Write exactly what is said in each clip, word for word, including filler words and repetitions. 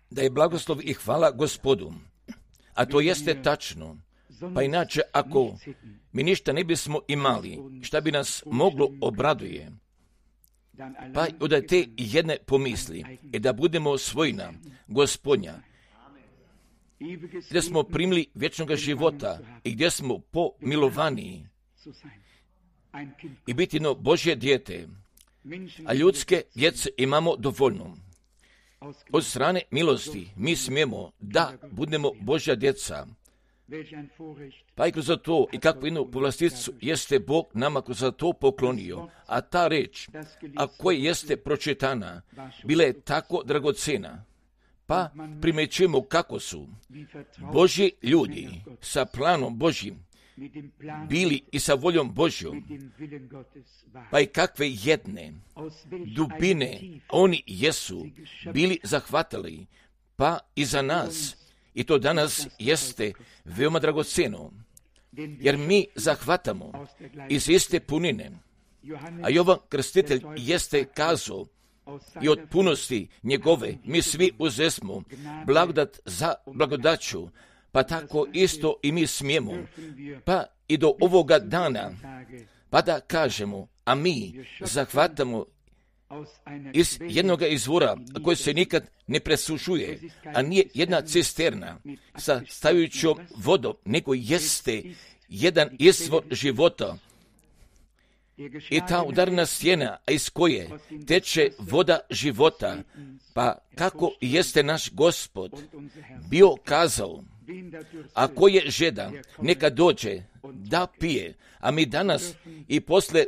Da je blagoslov i hvala Gospodu, a to jeste tačno. Pa inače, ako mi ništa ne bismo imali, šta bi nas moglo obraduje, pa od te jedne pomisli je da budemo svojina Gospodnja, gdje smo primili vječnog života i gdje smo pomilovani i biti no Božje dijete, a ljudske djece imamo dovoljno. Od strane milosti mi smijemo da budemo Božja djeca. Pa i kroz to i kakvu jednu povlasticu jeste Bog nama kroz to poklonio, a ta reč, a koja jeste pročitana, bila je tako dragocena. Pa primećujemo kako su Božji ljudi sa planom Božjim bili i sa voljom Božjom, pa i kakve jedne dubine oni jesu bili zahvatili, pa i za nas. I to danas jeste veoma dragoceno, jer mi zahvatamo iz iste punine, a Jovan Krstitelj jeste kazao i od punosti njegove mi svi uzesmo blagodat za blagodaću, pa tako isto i mi smijemo, pa i do ovoga dana, pa da kažemo, a mi zahvatamo iz jednog izvora koji se nikad ne presušuje, a nije jedna cisterna sa stajućom vodom, nego jeste jedan izvor života. I ta udarna stijena, iz koje teče voda života, pa kako jeste naš Gospod bio kazao, ako je žedan, neka dođe da pije, a mi danas i posle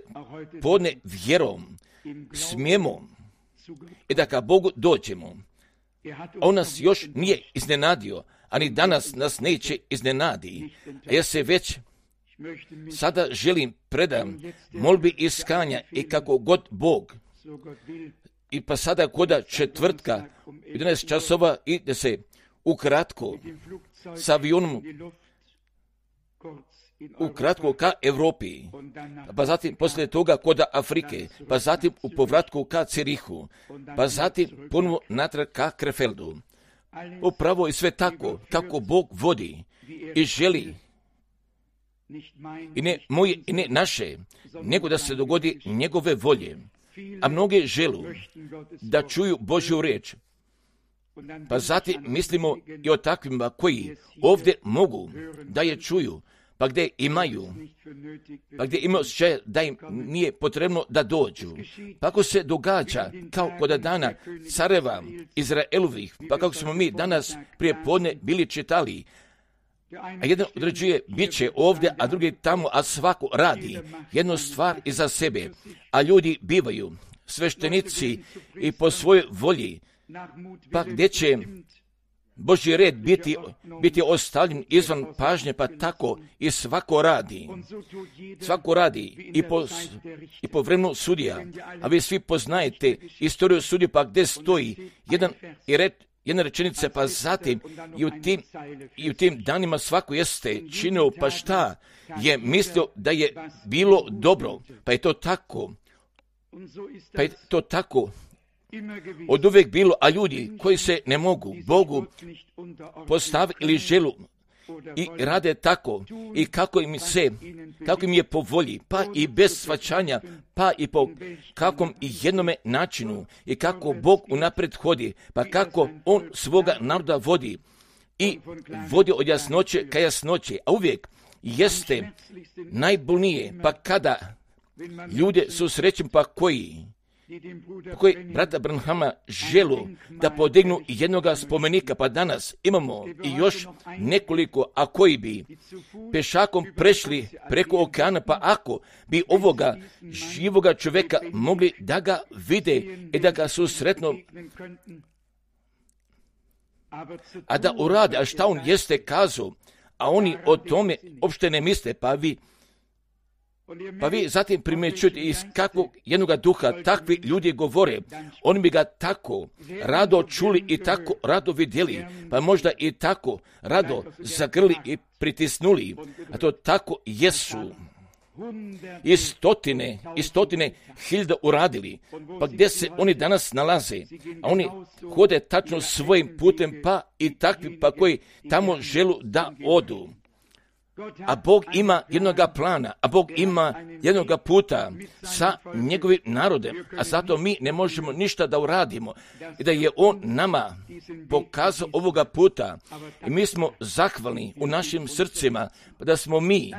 podne vjerom smijemo i da ka Bogu dođemo. On nas još nije iznenadio, a ni danas nas neće iznenadi. A ja se već sada želim predam molbi iskanja i kako god Bog. I pa sada koda četvrtka, jedanaest časova, ide se ukratko sa avionom ukratko ka Europi, pa zatim poslije toga koda Afrike, pa zatim u povratku ka Cirihu, pa zatim ponovo natrag ka Krefeldu. Upravo je sve tako kako Bog vodi i želi, i ne moje i ne naše, nego da se dogodi njegove volje. A mnoge želu da čuju Božju riječ, pa zatim mislimo i o takvima koji ovdje mogu da je čuju, pa gdje imaju, pa gdje imaju osjećaj da im nije potrebno da dođu. Pa ako se događa kao kod dana careva Izraelovih, pa kako smo mi danas prije podne bili čitali, a jedan određuje bit će ovdje, a drugi tamo, a svako radi jednu stvar iza sebe, a ljudi bivaju sveštenici i po svojoj volji, pa gdje će Božji red biti, biti ostavljen izvan pažnje, pa tako i svako radi. Svako radi i po, i po vremenu sudija. A vi svi poznajete istoriju sudija, pa gdje stoji jedan i red, jedna rečenica, pa zatim i u tim, i u tim danima svako jeste činio, pa šta je mislio da je bilo dobro, pa je to tako. Pa je to tako od uvijek bilo, a ljudi koji se ne mogu Bogu postaviti ili želu i rade tako i kako im se, kako im je po volji, pa i bez shvaćanja, pa i po kakvom i jednome načinu i kako Bog unaprijed hodi, pa kako On svoga naroda vodi i vodi od jasnoće ka jasnoće, a uvijek jeste najbolnije, pa kada ljude susrećem, pa koji koji brata Branhama želu da podignu jednoga spomenika, pa danas imamo i još nekoliko, a koji bi pešakom prešli preko okeana, pa ako bi ovoga živoga čovjeka mogli da ga vide i da ga susretnu, a da urade, a šta on jeste kazao, a oni o tome uopšte ne misle, pa vi Pa vi zatim primjećujete iz kakvog jednoga duha takvi ljudi govore, oni bi ga tako rado čuli i tako rado vidjeli, pa možda i tako rado zagrli i pritisnuli, a to tako jesu. i stotine, i stotine hiljada uradili. Pa gdje se oni danas nalaze? A oni hode tačno svojim putem, pa i takvi pa koji tamo želu da odu. A Bog ima jednoga plana, a Bog ima jednoga puta sa njegovim narodem, a zato mi ne možemo ništa da uradimo. I da je On nama pokazao ovoga puta i mi smo zahvalni u našim srcima da smo mi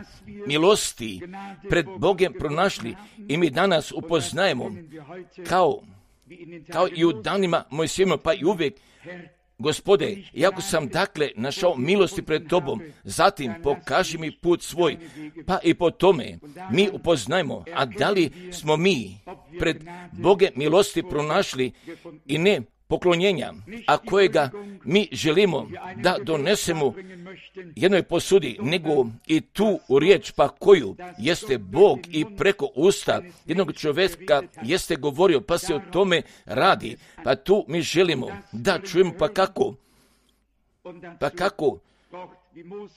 milosti pred Bogom pronašli i mi danas upoznajemo kao, kao i u danima Mojsijevima, pa i uvijek: Gospode, iako sam dakle našao milosti pred Tobom, zatim pokaži mi put svoj, pa i po tome mi upoznajmo, a da li smo mi pred Boge milosti pronašli i ne poklonjenja, a kojega mi želimo da donesemo jednoj posudi, nego i tu u riječ, pa koju jeste Bog i preko usta jednog čovjeka jeste govorio, pa se o tome radi. Pa tu mi želimo da čujemo, pa kako, pa kako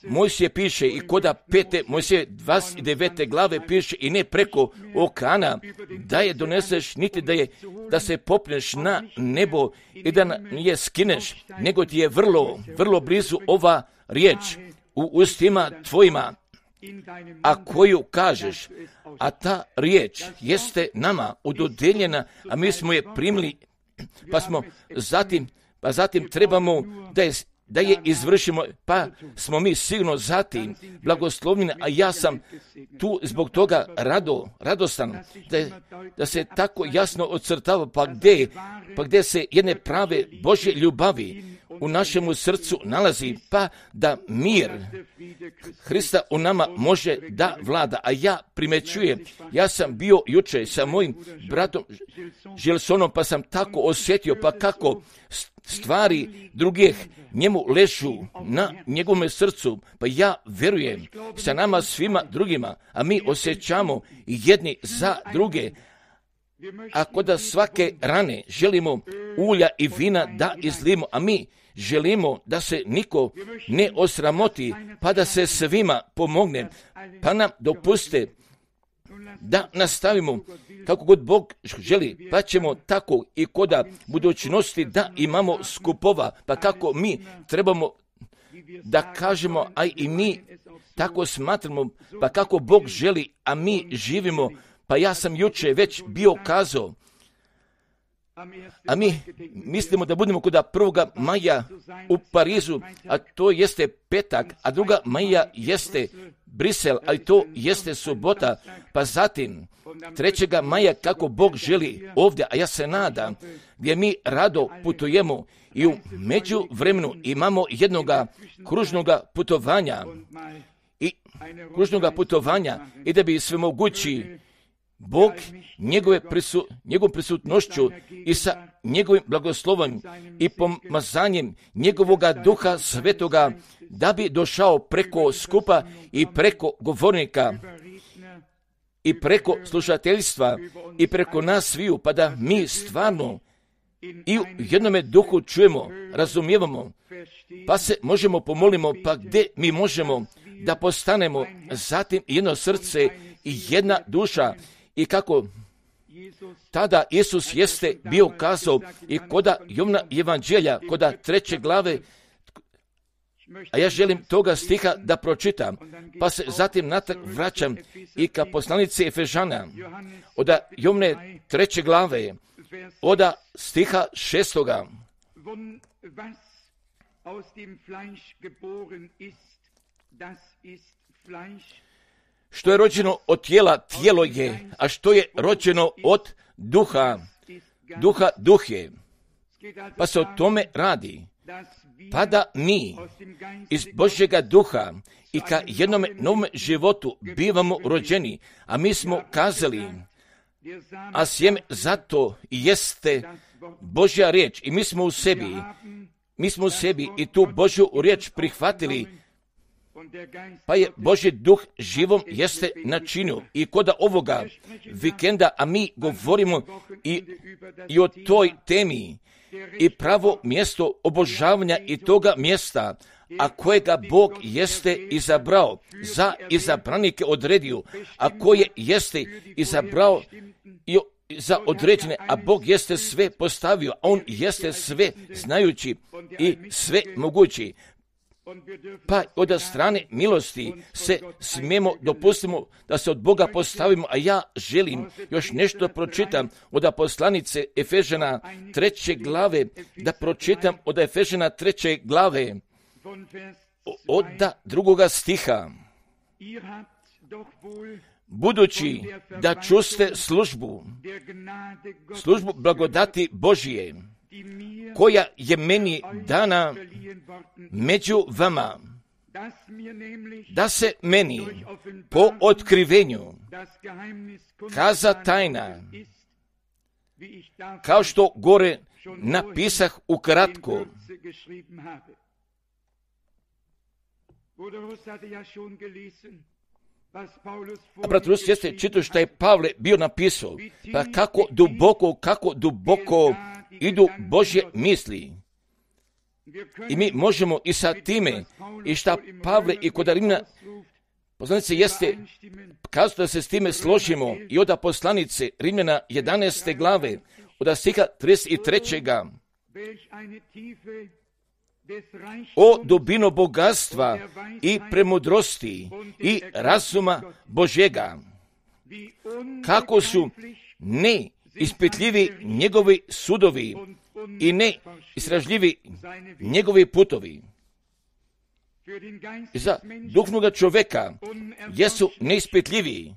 Mojsije piše i koda pete Mojsije dvadeset devete glave piše: i ne preko okeana da je doneseš, niti da je da se popneš na nebo i da je skineš, nego ti je vrlo, vrlo blizu ova riječ u ustima tvojima, a koju kažeš, a ta riječ jeste nama udodeljena, a mi smo je primili, pa smo zatim, pa zatim trebamo da je da je izvršimo, pa smo mi sigurno zatim blagoslovljeni, a ja sam tu zbog toga rado, radostan, da, da se tako jasno ocrtava, pa gdje, pa gdje se jedne prave Božje ljubavi u našemu srcu nalazi, pa da mir Hrista u nama može da vlada. A ja primećujem, ja sam bio juče sa mojim bratom Žilsonom, pa sam tako osjetio, pa kako stvari drugih njemu ležu na njegovom srcu, pa ja vjerujem sa nama svima drugima, a mi osjećamo jedni za druge. Ako da svake rane želimo ulja i vina da izlimo, a mi želimo da se niko ne osramoti, pa da se svima pomogne, pa nam dopuste da nastavimo kako god Bog želi, pa ćemo tako i koda budućnosti da imamo skupova, pa kako mi trebamo da kažemo, a i mi tako smatramo, pa kako Bog želi, a mi živimo. Pa ja sam juče već bio kazao, a mi mislimo da budemo kod prvoga maja u Parizu, a to jeste petak, a druga maja jeste Brisel, ali to jeste subota, pa zatim trećega maja kako Bog želi ovdje, a ja se nadam, gdje mi rado putujemo i u međuvremenu imamo jednoga kružnoga putovanja i kružnoga putovanja i da bi sve mogući Bog njegove prisu, njegovom prisutnošću i sa njegovim blagoslovom i pomazanjem njegovoga Duha Svetoga da bi došao preko skupa i preko govornika i preko slušateljstva i preko nas sviju, pa da mi stvarno i u jednome duhu čujemo, razumijevamo, pa se možemo pomolimo, pa gdje mi možemo da postanemo zatim jedno srce i jedna duša. I kako tada Isus jeste bio kazao i koda Jovna evanđelja, koda treće glave, a ja želim toga stiha da pročitam, pa se zatim natrag vraćam i ka poslanici Efežana, oda Jovne treće glave, oda stiha šestoga. Što je rođeno od tijela, tijelo je, a što je rođeno od duha, duha, duh je. Pa se o tome radi. Pa da mi iz Božjega duha i ka jednome novom životu bivamo rođeni, a mi smo kazali, a sjeme zato jeste Božja riječ i mi smo u sebi, mi smo u sebi i tu Božju riječ prihvatili, pa je Božji duh živom jeste načinio i koda ovoga vikenda, a mi govorimo i, i o toj temi i pravo mjesto obožavanja i toga mjesta, a kojega Bog jeste izabrao, za izabranike odredio, a koje jeste izabrao i za određene, a Bog jeste sve postavio, a On jeste sve znajući i sve mogući. Pa od strane milosti se smijemo, dopustimo da se od Boga postavimo, a ja želim još nešto pročitam od poslanice Efežana treće glave, da pročitam od Efežana treće glave, od drugoga stiha. Budući da čuste službu, službu blagodati Božije, koja je meni dana među vama, da se meni po otkrivenju kaza tajna, kao što gore napisah ukratko. A brat Rus jeste čitao što je Pavle bio napisao, pa kako duboko, kako duboko idu Božje misli. I mi možemo i sa time, i šta Pavle i kod Rimljana, poslanice jeste, kazao da se s time složimo, i od poslanice Rimljana jedanaeste glave, od stiha trideset trećeg. O dubino bogatstva i premudrosti i razuma Božjega, kako su neispitljivi njegovi sudovi i neistražljivi njegovi putovi. I za duhovnoga čovjeka jesu neispitljivi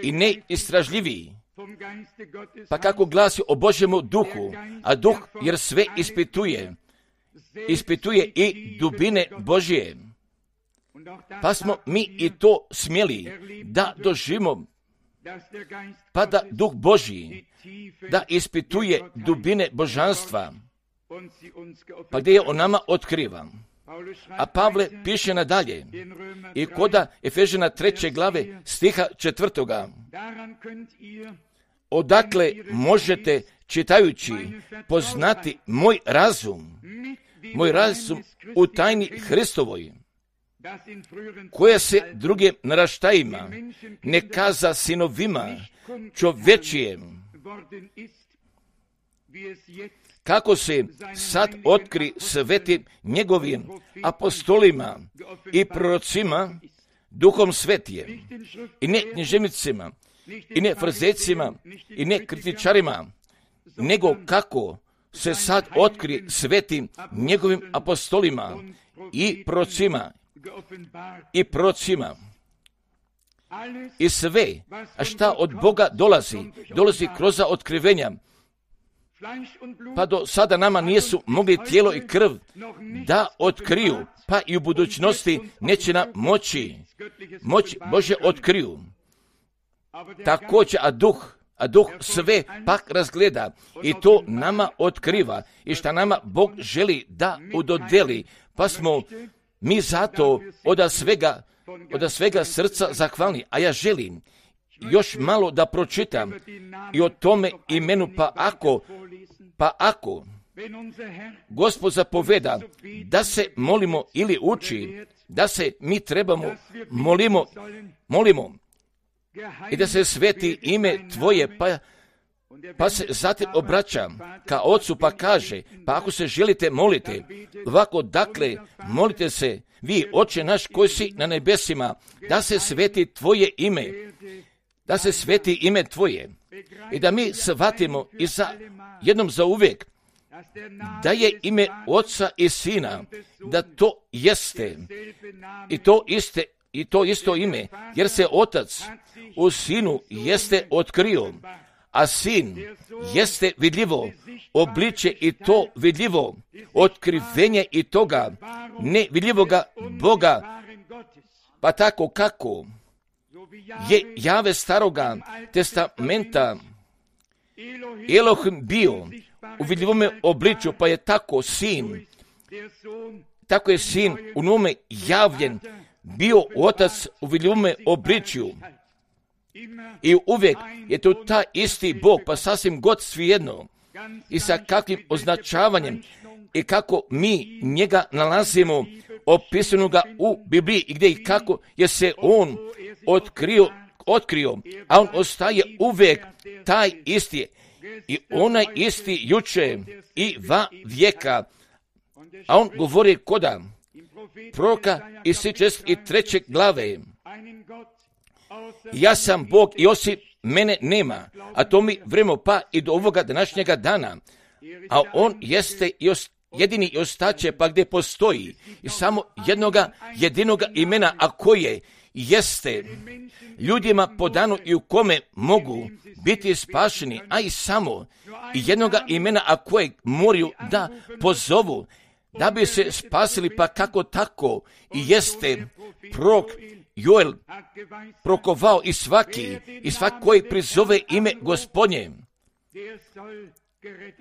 i neistražljivi. Pa kako glasi o Božjemu duhu, a duh jer sve ispituje, ispituje i dubine Božje. Pa smo mi i to smjeli da doživimo, pa da duh Božji da ispituje dubine božanstva, pa gdje je on nama otkriva. A Pavle piše nadalje i koda Efežana treće glave stiha četvrtoga. Odakle možete, čitajući, poznati moj razum, moj razum u tajni Hristovoj, koja se drugim naraštajima ne kaza sinovima čovječijem, kako se sad otkri svetim njegovim apostolima i prorocima duhom svetijem, i ne književnicima, i ne frizecima, i ne kritičarima, nego kako se sad otkri svetim njegovim apostolima i prorocima i prorocima. I sve, a šta od Boga dolazi, dolazi kroz otkrivenja, pa do sada nama nisu mogli tijelo i krv da otkriju, pa i u budućnosti neće nam moći, moć Bože otkriju. Također, a duh, a duh sve pak razgleda i to nama otkriva i šta nama Bog želi da udodeli, pa smo mi zato od svega, od svega srca zahvalni. A ja želim još malo da pročitam i o tome imenu, pa ako, pa ako Gospod zapoveda da se molimo ili uči, da se mi trebamo molimo, molimo i da se sveti ime Tvoje, pa, pa se zatim obraća ka Ocu, pa kaže, pa ako se želite molite, ovako dakle molite se vi, Oče naš koji si na nebesima, da se sveti Tvoje ime, da se sveti ime Tvoje i da mi shvatimo i za jednom za uvijek da je ime Oca i Sina, da to jeste i to iste i to isto ime, jer se Otac u Sinu jeste otkrio, a Sin jeste vidljivo obliče i to vidljivo otkrivenje i toga nevidljivoga Boga, pa tako kako je Jave staroga testamenta Elohim bio u vidljivome obliču, pa je tako Sin, tako je Sin u nome javljen bio Otac u vidljivome obličju. I uvijek je to ta isti Bog, pa sasvim god svijedno, i sa kakvim označavanjem i kako mi njega nalazimo opisanoga u Bibliji i gdje i kako je se on otkrio, otkrio, a on ostaje uvijek taj isti i onaj isti juče i va vijeka, a on govori koda proroka iz šezdeset treće glave. Ja sam Bog i osim mene nema, a to mi vremo pa i do ovoga današnjega dana, a on jeste i jedini i ostaće pa gdje postoji i samo jednoga jedinoga imena, a koje jeste ljudima podano i u kome mogu biti spašeni, a i samo i jednoga imena, a kojeg moraju da pozovu da bi se spasili, pa kako tako i jeste prorok Joel prokovao i svaki, i svaki koji prizove ime Gospodnje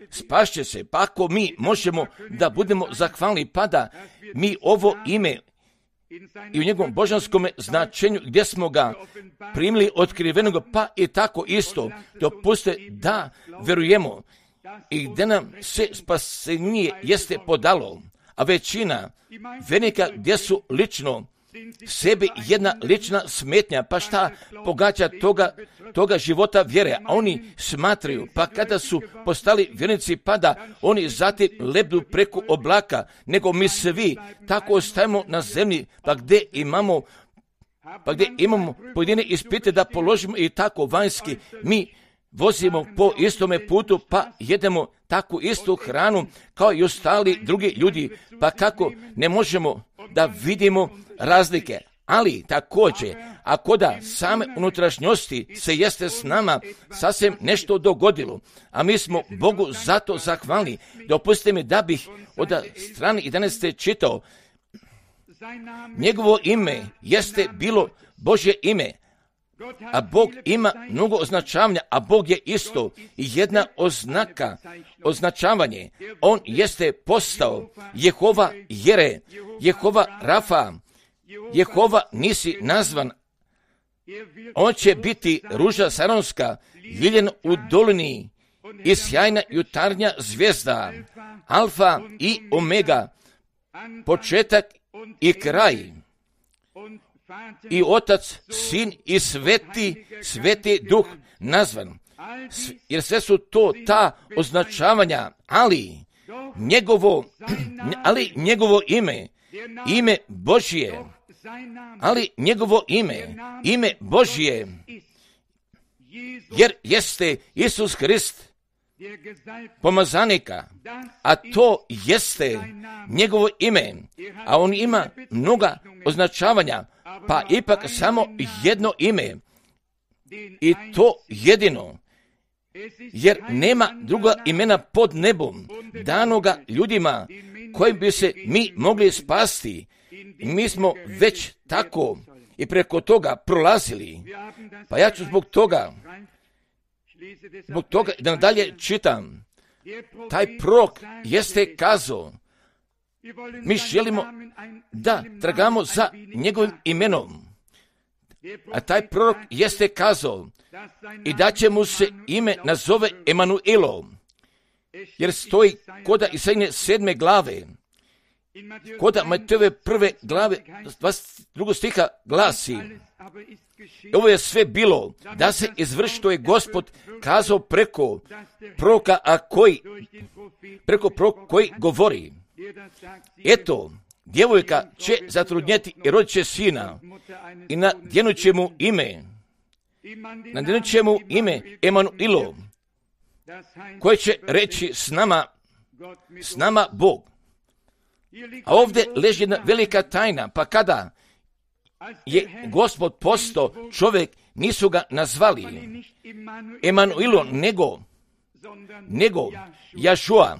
spašće se. Pa ako mi možemo da budemo zahvalni, pa da mi ovo ime i u njegovom božanskom značenju gdje smo ga primili otkrivenog, pa i tako isto dopuste da verujemo i gdje nam se spasenje jeste podalo, a većina vernika gdje su lično sebi jedna lična smetnja, pa šta pogađa toga, toga života vjere, a oni smatraju, pa kada su postali vjernici, pa da oni zatim lebdu preko oblaka, nego mi svi tako ostajemo na zemlji, pa gdje imamo pa gdje imamo pojedine ispite da položimo i tako vanjski, mi vozimo po istome putu, pa jedemo takvu istu hranu kao i ostali drugi ljudi, pa kako ne možemo da vidimo razlike. Ali također, ako da same unutrašnjosti se jeste s nama sasvim nešto dogodilo, a mi smo Bogu zato zahvalni. Dopustite mi da bih od strane jedanaeste čitao, njegovo ime jeste bilo Božje ime, a Bog ima mnogo označavanja, a Bog je isto jedna oznaka, označavanje. On jeste postao Jehova Jere, Jehova Rafa, Jehova nisi nazvan. On će biti ruža saronska, liljen u dolini i sjajna jutarnja zvijezda, alfa i omega, početak i kraj. I Otac, Sin i Sveti, Sveti Duh nazvan. Jer sve su to ta označavanja, ali njegovo, ali njegovo ime, ime Božje, ali njegovo ime, ime Božje, jer jeste Isus Hrist, pomazanika, a to jeste njegovo ime, a on ima mnoga označavanja, pa ipak samo jedno ime, i to jedino, jer nema druga imena pod nebom danoga ljudima kojim bi se mi mogli spasti. Mi smo već tako i preko toga prolazili, pa ja ću zbog toga zbog toga da nadalje čitam. Taj prorok jeste kazao, mi želimo da tragamo za njegovim imenom, a taj prorok jeste kazao i da će mu se ime nazove Emanuelo, jer stoji koda Isaije sedme glave, koda Matejove prve glave dvadeset drugog stiha glasi, ovo je sve bilo da se izvrši što je Gospod kazao preko proroka, a koji preko proroka koji govori, eto, djevojka će zatrudnjeti i rodit će sina i nadjenut će mu ime, nadjenut će mu ime Emanuilo, koje će reći s nama, s nama Bog. A ovdje leži jedna velika tajna, pa kada je Gospod postao čovjek, nisu ga nazvali Emanuilo, nego, nego Jašua.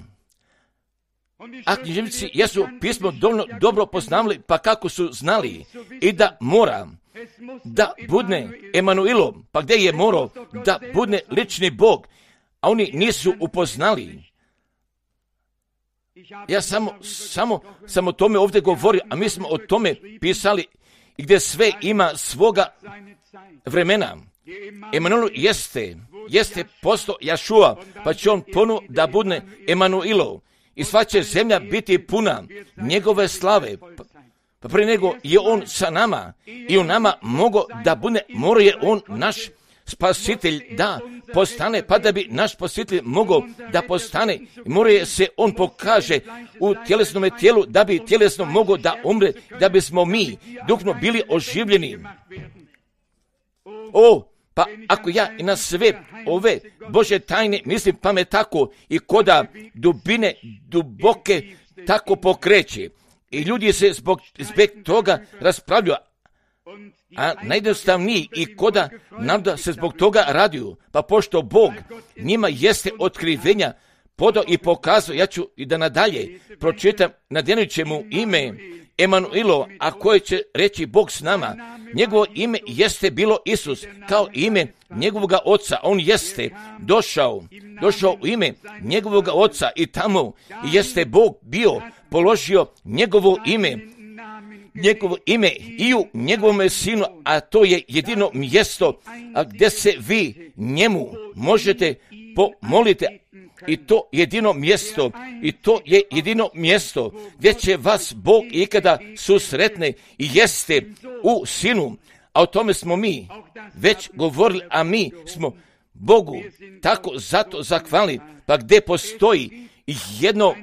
A književnici jesu pismo dovoljno dobro poznavali, pa kako su znali i da mora da budne Emanuilo, pa gdje je morao da budne lični Bog, a oni nisu upoznali. Ja samo, samo, samo o tome ovdje govorim, a mi smo o tome pisali i gdje sve ima svoga vremena. Emanuel jeste jeste posto Jašua, pa će on ponu da budne Emanuilov. I sva će zemlja biti puna njegove slave. Pa prije nego je on sa nama i u nama mogo da bude, mora je on naš spasitelj da postane, pa da bi naš spasitelj mogao da postane, mora je se on pokaže u tjelesnom tijelu, da bi tjelesno mogao da umre, da bismo mi duhno bili oživljeni. O, pa ako ja i na sve ove Bože tajne mislim, pa me tako i koda dubine duboke tako pokreće. I ljudi se zbog, zbog toga raspravljaju, a najjednostavniji i koda nam da se zbog toga radiju. Pa pošto Bog njima jeste otkrivenja podao i pokazao, ja ću i da nadalje pročitam, nadjenut će mu ime Emanuilo, a koje će reći Bog s nama. Njegovo ime jeste bilo Isus, kao ime njegovoga oca. On jeste došao, došao u ime njegovoga oca i tamo jeste Bog bio položio njegovo ime, njegovo ime i u njegovom sinu, a to je jedino mjesto a gdje se vi njemu možete pomoliti. I to jedino mjesto, i to je jedino mjesto gdje će vas Bog ikada susretne i jeste u sinu. A o tome smo mi već govorili, a mi smo Bogu tako zato zahvalni. Pa gdje postoji jedno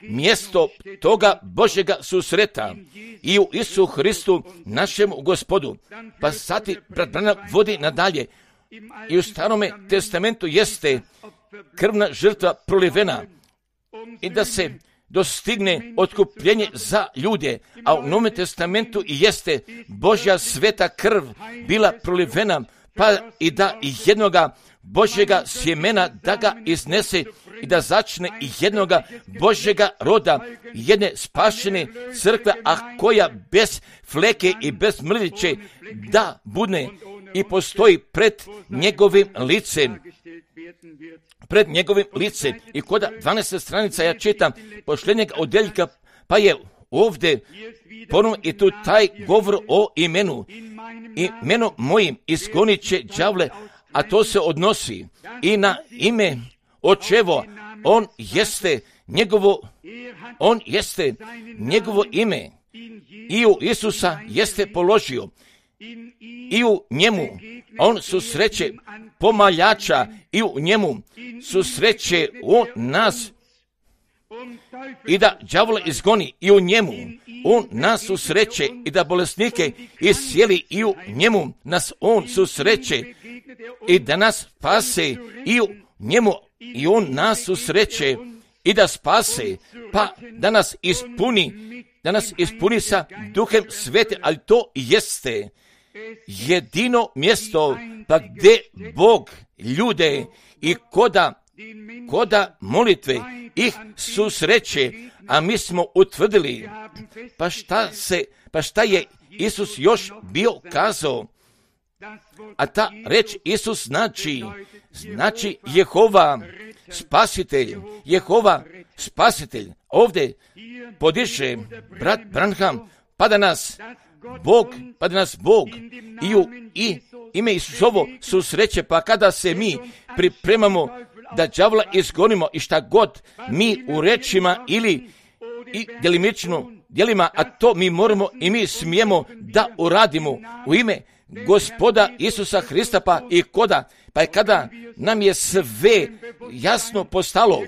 mjesto toga Božjega susreta i u Isu Hristu našem Gospodu. Pa sati brat Branham vodi nadalje i u Starome testamentu jeste krvna žrtva prolivena i da se dostigne otkupljenje za ljude, a u Novom testamentu i jeste Božja sveta krv bila prolivena, pa i da jednoga Božjega sjemena da ga iznese i da začne jednoga Božjega roda, jedne spašene crkve, a koja bez fleke i bez mrljiće da bude i postoji pred njegovim licem. Pred njegovim licem. I kod dvanaeste stranica ja čitam posljednjeg odjeljka, pa je ovdje ponovno i tu taj govor o imenu. Imeno mojim izgonit će đavle, a to se odnosi i na ime očevo. On jeste njegovo, on jeste njegovo ime i u Isusa jeste položio i u njemu on susreće pomaljača i u njemu susreće on nas i da đavola izgoni i u njemu on nas susreće i da bolesnike iscijeli i u njemu nas on susreće i da nas spase i u njemu i on nas susreće i da spase, pa da nas ispuni, da nas ispuni sa Duhem Svete, ali to jeste jedino mjesto pa gdje Bog ljude i koda, koda molitve ih susreće, a mi smo utvrdili, pa šta se, pa šta je Isus još bio kazao, a ta reč Isus znači, znači Jehova spasitelj, Jehova spasitelj. Ovdje podiže brat Branham, pa da nas Bog, pa da nas Bog i u i ime Isusovo susreće, pa kada se mi pripremamo da đavola izgonimo i šta god mi u rečima ili i djelimično djelima, a to mi moramo i mi smijemo da uradimo u ime Gospoda Isusa Hrista, pa i koda, pa i kada nam je sve jasno postalo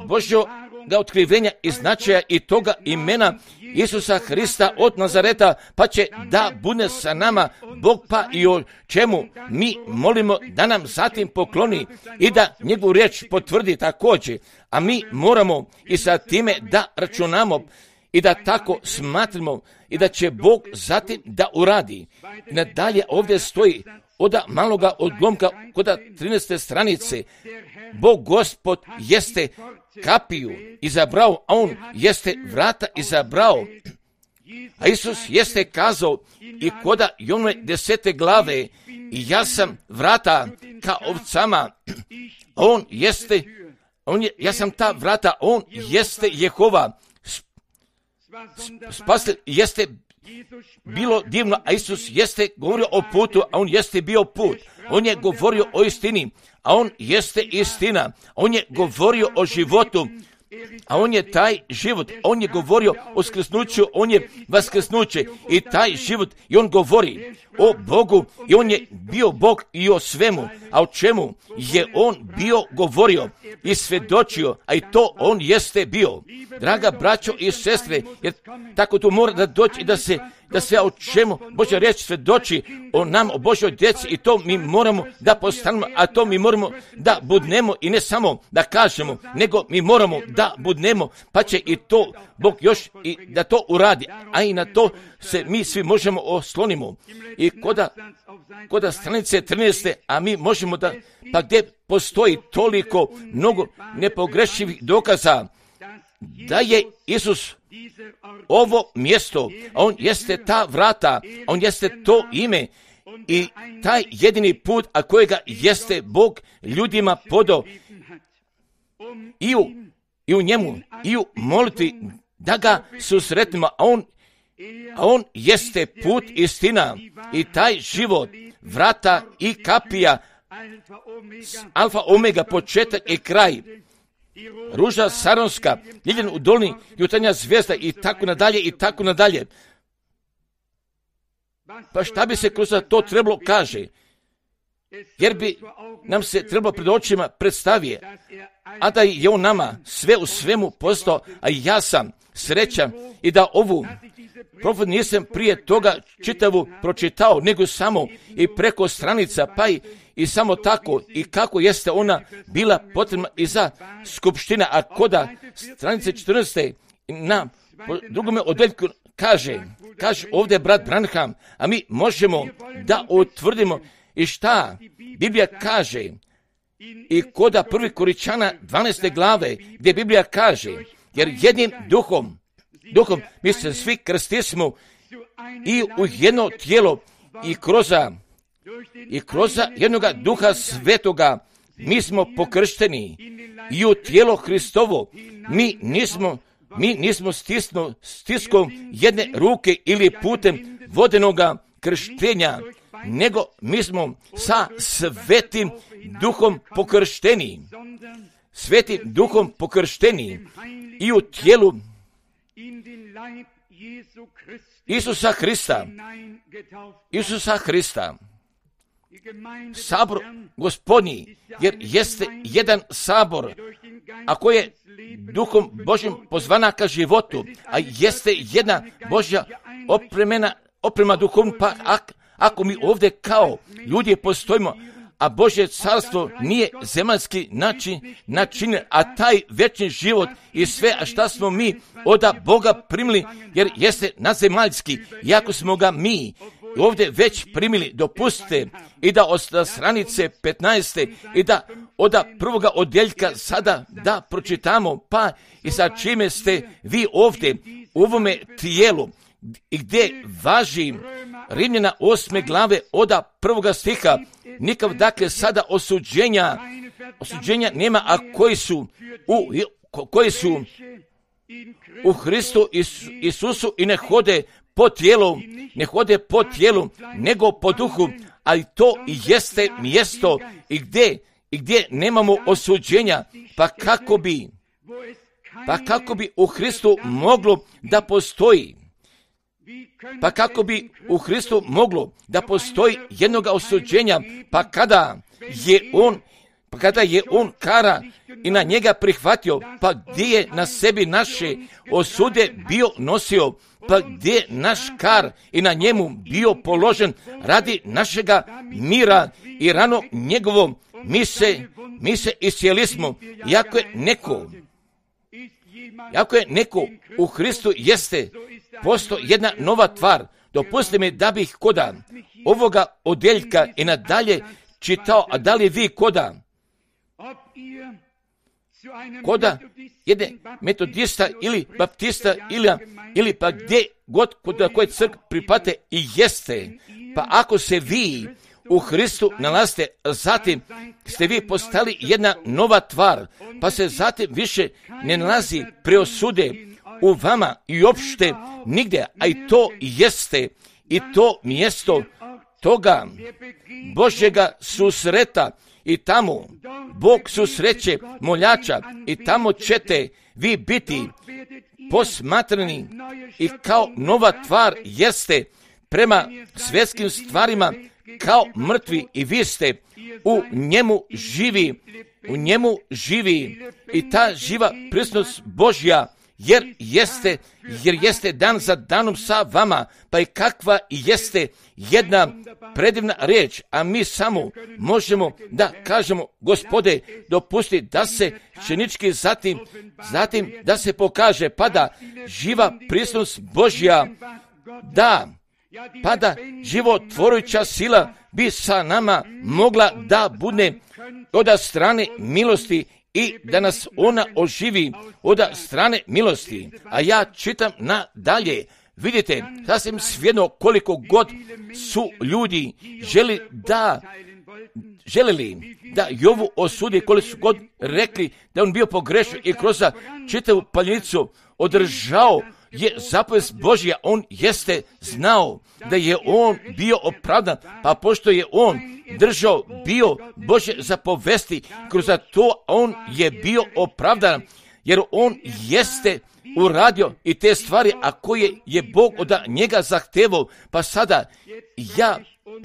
Božjoga otkrivenja i značaja i toga imena Isusa Hrista od Nazareta, pa će da bude sa nama Bog, pa i o čemu mi molimo da nam zatim pokloni i da njegovu riječ potvrdi također, a mi moramo i sa time da računamo i da tako smatramo i da će Bog zatim da uradi. I nadalje ovdje stoji od maloga odlomka kod trinaeste stranice. Bog Gospod jeste kapiju izabrao, a on jeste vrata izabrao. A Isus jeste kazao i koda Jonove desete glave, i ja sam vrata ka ovcama, on jeste, on je, ja sam ta vrata, on jeste Jehova. Spasitelj jeste bilo divno, a Isus jeste govorio o putu, a on jeste bio put. On je govorio o istini, a on jeste istina. On je govorio o životu, a on je taj život. On je govorio o skrsnuću, on je vaskrsnuće i taj život. I on govori o Bogu i on je bio Bog i o svemu. A o čemu je on bio govorio i svedočio, a i to on jeste bio. Draga braćo i sestre, jer tako to mora da doći i da se da sve o čemu Božja riječ svedoči o nam, o Božjoj djeci, i to mi moramo da postanemo, a to mi moramo da budnemo i ne samo da kažemo, nego mi moramo da budnemo, pa će i to Bog još i da to uradi, a i na to se mi svi možemo oslonimo. I koda, koda stranice trinaeste, a mi možemo da, pa gdje postoji toliko mnogo nepogrešivih dokaza da je Isus ovo mjesto, a on jeste ta vrata, on jeste to ime i taj jedini put, a kojega jeste Bog ljudima podao i u, i u njemu, i u molitvi da ga susretnemo, a on, a on jeste put, istina i taj život, vrata i kapija, alfa, omega, početak i kraj, ruža saronska, liljan u dolini, jutarnja zvijezda i tako nadalje i tako nadalje. Pa šta bi se kroz to trebalo kaže? Jer bi nam se trebalo pred očima predstavije, a da je on nama sve u svemu postao, a ja sam srećan i da ovu profet nisam prije toga čitavu pročitao, nego samo i preko stranica, pa i, i samo tako i kako jeste ona bila potrebna i za skupština, a koda stranice četrnaeste na drugome odeljku kaže, kaže ovdje brat Branham, a mi možemo da utvrdimo i šta Biblija kaže i koda prvi Koričana dvanaeste glave, gdje Biblija kaže, jer jednim duhom, duhom mi se svi krstismo i u jedno tijelo i kroz i kroz jednoga duha svetoga mi smo pokršteni i u tijelo Hristovo. Mi nismo, mi nismo stisno, stiskom jedne ruke ili putem vodenoga krštenja, nego mi smo sa svetim duhom pokršteni. Svetim duhom pokršteni i u tijelu Isusa Hrista. Isusa Hrista. Sabor Gospodnji, jer jeste jedan sabor, a koji je duhom Božjim pozvana ka životu, a jeste jedna Božja opremena, oprema duhom, pa ak, ako mi ovdje kao ljudi postojimo, a Božje carstvo nije zemaljski način, način, a taj večni život i sve, a šta smo mi od Boga primili, jer jeste nadzemaljski, iako smo ga mi ovdje već primili, dopustite i da od stranice petnaeste i da od prvoga odjeljka sada da pročitamo, pa i sa čime ste vi ovdje u ovome tijelu i gdje važi Rimljana osme glave od prvoga stiha, nikav dakle sada osuđenja, osuđenja nema, a koji su u, koji su u Hristu Isusu i ne hode po tijelu, ne hode po tijelu, nego po duhu, ali to i jeste mjesto i gdje, i gdje nemamo osuđenja, pa kako bi, pa kako bi u Hristu moglo da postoji, pa kako bi u Hristu moglo da postoji jednoga osuđenja, pa kada je on, pa kada je on kara i na njega prihvatio, pa gdje je na sebi naše osude bio nosio, pa gdje je naš kar i na njemu bio položen radi našega mira i rano njegovom mi se, mi se iscijeli smo. Iako je neko, iako je neko u Hristu jeste posto jedna nova tvar, dopustite mi da bih koda ovoga odjeljka i nadalje čitao, a da li vi koda koda jedne metodista ili baptista ili, ili pa gdje god kod koje crk pripate i jeste, pa ako se vi u Hristu nalazite, zatim ste vi postali jedna nova tvar, pa se zatim više ne nalazi preosude u vama i opšte nigdje, a i to jeste i to mjesto toga Božjega susreta i tamo Bog susreće moljača i tamo ćete vi biti posmatrani i kao nova tvar jeste prema svjetskim stvarima kao mrtvi i vi ste u njemu živi, u njemu živi i ta živa prisutnost Božja jer jeste, jer jeste dan za danom sa vama, pa i kakva jeste jedna predivna riječ, a mi samo možemo da kažemo, Gospode, dopusti da se činički zatim, zatim da se pokaže, pa da živa prisutnost Božja, da, pa da životvorujuća sila bi sa nama mogla da bude od strane milosti i da nas ona oživi od strane milosti. A ja čitam nadalje. Vidite, sasvim svejedno koliko god su ljudi želi da, želili da Jovu osudi, koliko su god rekli da on bio pogrešan i kroz čitavu paljenicu održao je zapovest Božja, on jeste znao da je on bio opravdan, pa pošto je on držao bio Božje zapovesti, kroz to on je bio opravdan, jer on jeste uradio i te stvari, a koje je Bog od njega zahtevao. Pa sada ja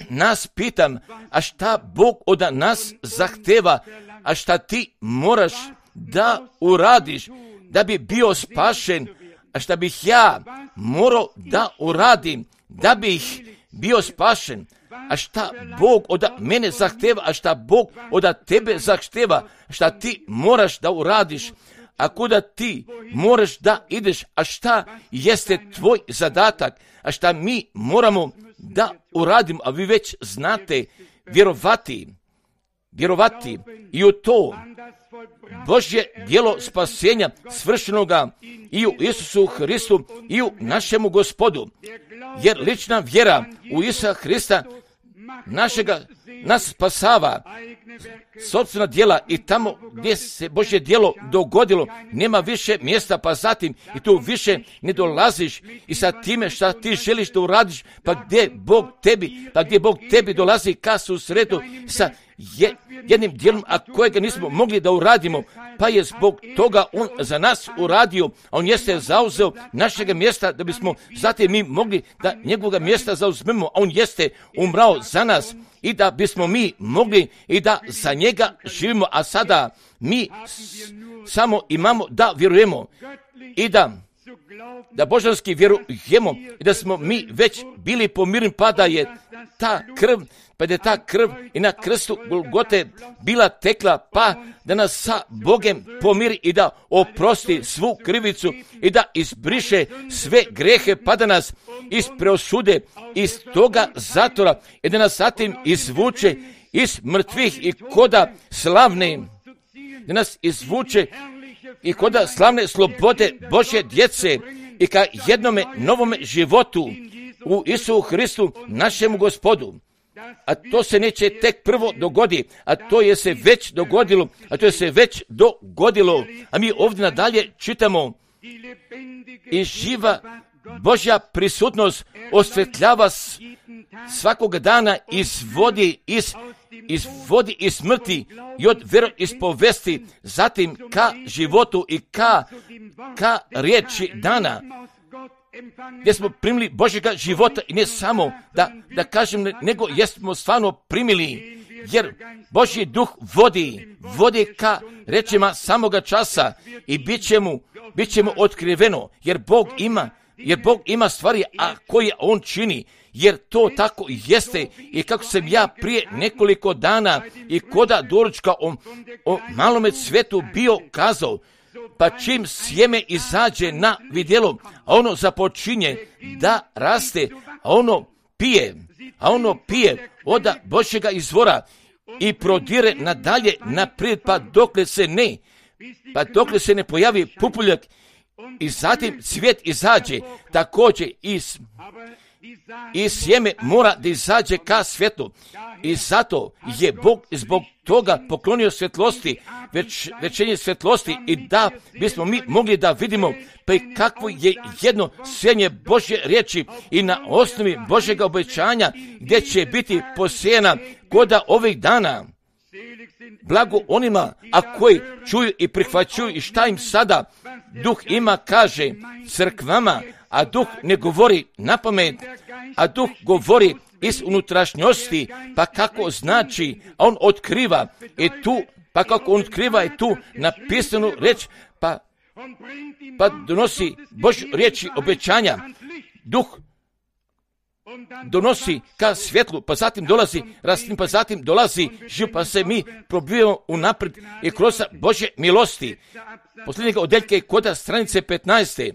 nas pitam, a šta Bog od nas zahteva, a šta ti moraš da uradiš da bi bio spašen, a šta bih ja morao da uradim da bih bio spašen, a šta Bog od mene zahteva, a šta Bog od tebe zahteva, šta ti moraš da uradiš, a kuda ti moraš da ideš, a šta jeste tvoj zadatak, a šta mi moramo da uradimo, a vi već znate, vjerovati, vjerovati i u to Božje djelo spasenja svršenoga i u Isusu Hristu i u našemu Gospodu, jer lična vjera u Isusa Hrista našega nas spasava, sopstvena djela i tamo gdje se Božje djelo dogodilo nema više mjesta, pa zatim i tu više ne dolaziš i sa time šta ti želiš da uradiš, pa gdje Bog tebi, pa gdje Bog tebi dolazi ka susretu sa je, jednim djelom, a kojega nismo mogli da uradimo, pa je zbog toga on za nas uradio, a on jeste zauzeo našega mjesta da bismo zatim mi mogli da njegovog mjesta zauzmemo, a on jeste umrao za nas i da bismo mi mogli i da za njega živimo, a sada mi s, samo imamo da vjerujemo i da da božanski vjerujemo i da smo mi već bili pomirni, pa da je ta krv, pa da je ta krv i na krstu Golgote bila tekla, pa da nas sa Bogem pomiri i da oprosti svu krivicu i da izbriše sve grehe, pa da nas ispreosude iz toga zatvora i da nas zatim izvuče iz mrtvih i koda slavne, da nas izvuče i koda slavne slobode Božje djece i ka jednome novome životu u Isusu Hristu, našemu Gospodu. A to se neće tek prvo dogodi, a to je se već dogodilo, a to je se već dogodilo. A mi ovdje nadalje čitamo i živa Božja prisutnost osvetljava svakog dana, izvodi iz, izvodi iz smrti i od vjeroispovesti, zatim ka životu i ka, ka riječi dana, gdje smo primili Božjega života i ne samo da, da kažem, nego jesmo stvarno primili, jer Božji duh vodi, vodi ka rečima samoga časa i bit će mu, bit će mu otkriveno, jer Bog ima, jer Bog ima stvari, a koje on čini, jer to tako jeste. I kako sam ja prije nekoliko dana i koda doručka o, o malome cvetu bio kazao, pa čim sjeme izađe na vidjelo, a ono započinje da raste, a ono pije, a ono pije od Božjega izvora i prodire nadalje naprijed, pa dokle se ne, pa dokle se ne pojavi pupuljak i zatim cvijet izađe, također i, i sjeme mora da izađe ka svjetlu. I zato je Bog zbog toga poklonio svjetlosti, već, večenje svjetlosti, i da bismo mi mogli da vidimo pa i kakvo je jedno sjenje Božje riječi i na osnovi Božjega obećanja gdje će biti posijena koda ovih dana. Blago onima, a koji čuju i prihvaćuju i šta im sada Duh ima kaže crkvama, a Duh ne govori na pamet, a Duh govori iz unutrašnjosti, pa kako znači, a on otkriva i tu, pa kako on otkriva i tu napisanu reč, pa, pa donosi Božju riječi obećanja. Duh donosi ka svjetlu, pa zatim dolazi rastim, pa zatim dolazi živ, pa se mi probijemo unaprijed i kroz Božje milosti. Posljednjega odeljka je koda stranice petnaeste.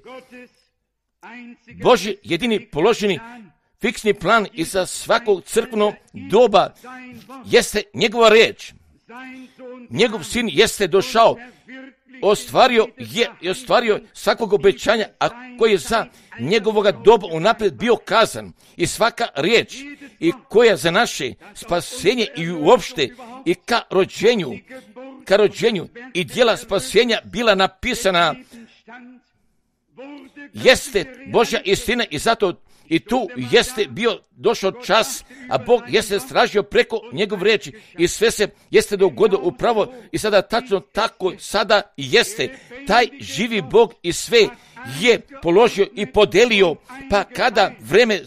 Božji jedini položeni fiksni plan i za svakog crkvenog doba jeste njegova riječ. Njegov sin jeste došao, ostvario je i ostvario svakog obećanja, a koji je za njegovoga doba unaprijed bio kazan, i svaka riječ i koja za naše spasenje i uopšte i ka rođenju, ka rođenju i djela spasenja bila napisana, jeste Božja istina, i zato i tu jeste bio došao čas, a Bog jeste stražio preko njegov riječi i sve se jeste dogodilo upravo i sada tačno tako sada jeste. Taj živi Bog i sve je položio i podelio, pa kada vreme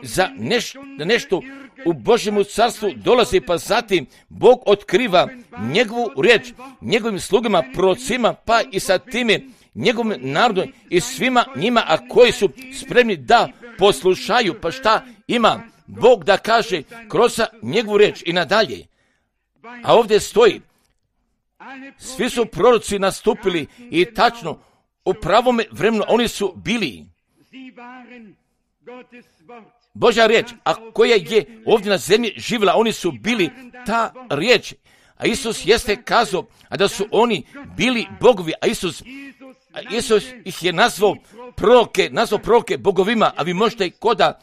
za nešto, nešto u Božjemu carstvu dolazi, pa zatim Bog otkriva njegovu riječ njegovim slugama, prorocima, pa i sa time njegovom narodu i svima njima, a koji su spremni da poslušaju. Pa šta ima Bog da kaže kroz njegovu riječ i nadalje? A ovdje stoji, svi su proroci nastupili i tačno u pravome vremenu oni su bili Božja riječ, a koja je ovdje na zemlji živjela, oni su bili ta riječ. A Isus jeste kazao, a da su oni bili bogovi, a Isus A Isus ih je nazvao proroke, nazvao proroke bogovima, a vi možete i koda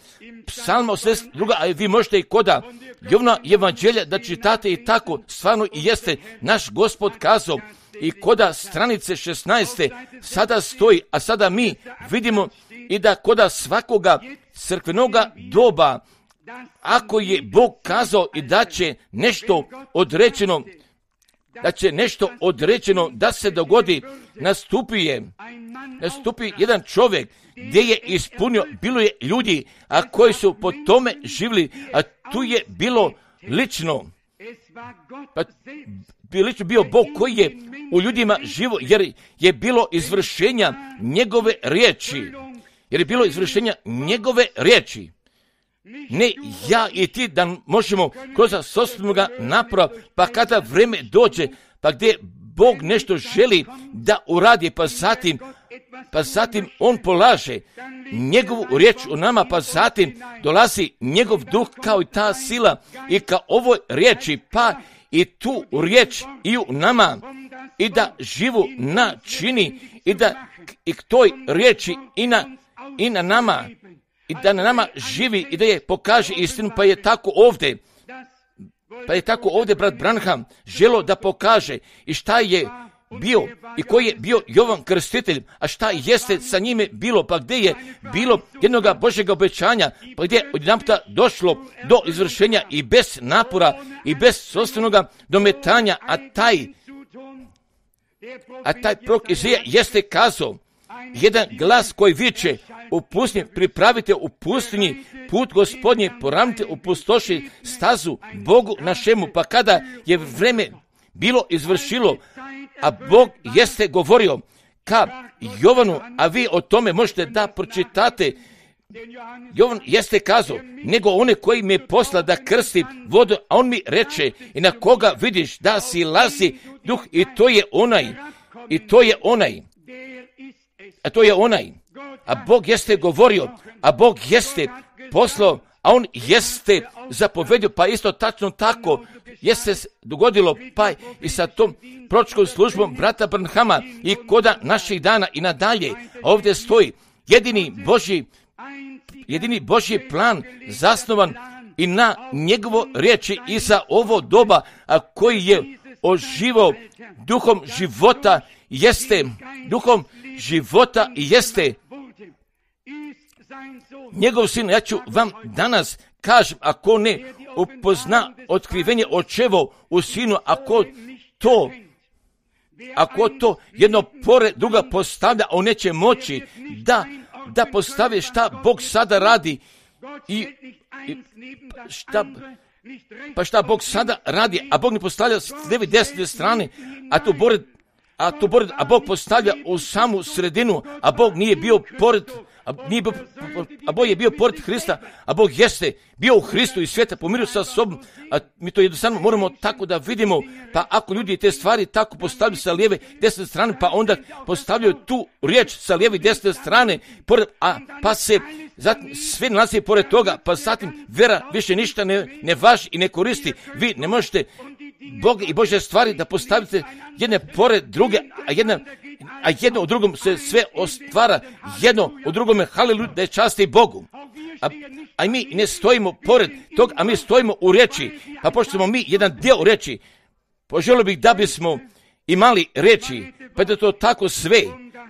Psalma osamdeset dva, a vi možete i koda Jovna evanđelja da čitate i tako stvarno i jeste naš Gospod kazao. I koda stranice šesnaeste sada stoji, a sada mi vidimo i da koda svakoga crkvenoga doba, ako je Bog kazao i da će nešto određeno, da će nešto određeno da se dogodi, nastupi je, nastupi jedan čovjek gdje je ispunio, bilo je ljudi, a koji su po tome živjeli, a tu je bilo lično, pa lično bio Bog koji je u ljudima živo, jer je bilo izvršenja njegove riječi, jer je bilo izvršenja njegove riječi. Ne ja i ti da možemo kroz sopstvenoga napora, pa kada vreme dođe, pa gdje Bog nešto želi da uradi, pa zatim, pa zatim on polaže njegovu riječ u nama, pa zatim dolazi njegov duh kao i ta sila i ka ovoj riječi, pa i tu riječ i u nama, i da živu načini i da i k toj riječi i na, i na nama, i da na nama živi i da je pokaže istinu, pa je tako ovdje, pa je tako ovdje brat Branham želo da pokaže i šta je bio i koji je bio Jovan Krstitelj, a šta jeste sa njime bilo, pa gdje je bilo jednoga Božjega obećanja, pa gdje je odjedanputa došlo do izvršenja i bez napora i bez sopstvenoga dometanja, a taj, a taj prorok Izaija jeste kazao, jedan glas koji viče u pustinji, pripravite u pustinji put Gospodnji, poravnite u pustoši stazu Bogu našemu. Pa kada je vreme bilo izvršilo, a Bog jeste govorio ka Jovanu, a vi o tome možete da pročitate, Jovan jeste kazao, nego one koji mi je posla da krsti vodu, a on mi reče, i na koga vidiš da si lazi duh, i to je onaj, i to je onaj, a to je onaj, a Bog jeste govorio, a Bog jeste poslao, a on jeste zapovedio, pa isto tačno tako jeste dogodilo, pa i sa tom proročkom službom brata Branhama i koda naših dana i nadalje. Ovdje stoji jedini Božji jedini Božji plan zasnovan i na njegovo riječi i za ovo doba, a koji je oživao duhom života, jeste, duhom života jeste njegov sin. Ja ću vam danas kažem, ako ne upozna otkrivenje očevo u sinu, ako to ako to jedno pored druga postavlja, on neće moći da, da postavi šta Bog sada radi i, i šta, pa šta Bog sada radi, a Bog ne postavlja s lijeve desne strane, a tu pored, a tu pored, a Bog postavlja u samu sredinu, a Bog nije bio pored, a, nije bio, a Bog je bio pored Hrista, a Bog jeste bio u Hristu i svijeta pomirio sa sobom, a mi to jednostavno moramo tako da vidimo, pa ako ljudi te stvari tako postavljaju sa lijeve desne strane, pa onda postavljaju tu riječ sa lijeve desne strane, pored, a pa se zatim sve nalazi pored toga, pa zatim vera više ništa ne, ne važi i ne koristi. Vi ne možete Boga i Božje stvari da postavite jedne pored druge, a jedna a jedno u drugom se sve ostvara, jedno u drugome, haleluja, da je časti Bogu. A, a mi ne stojimo pored tog, a mi stojimo u riječi, pa pošto smo mi jedan dio riječi, poželio bih da bismo imali riječi, pa da to tako sve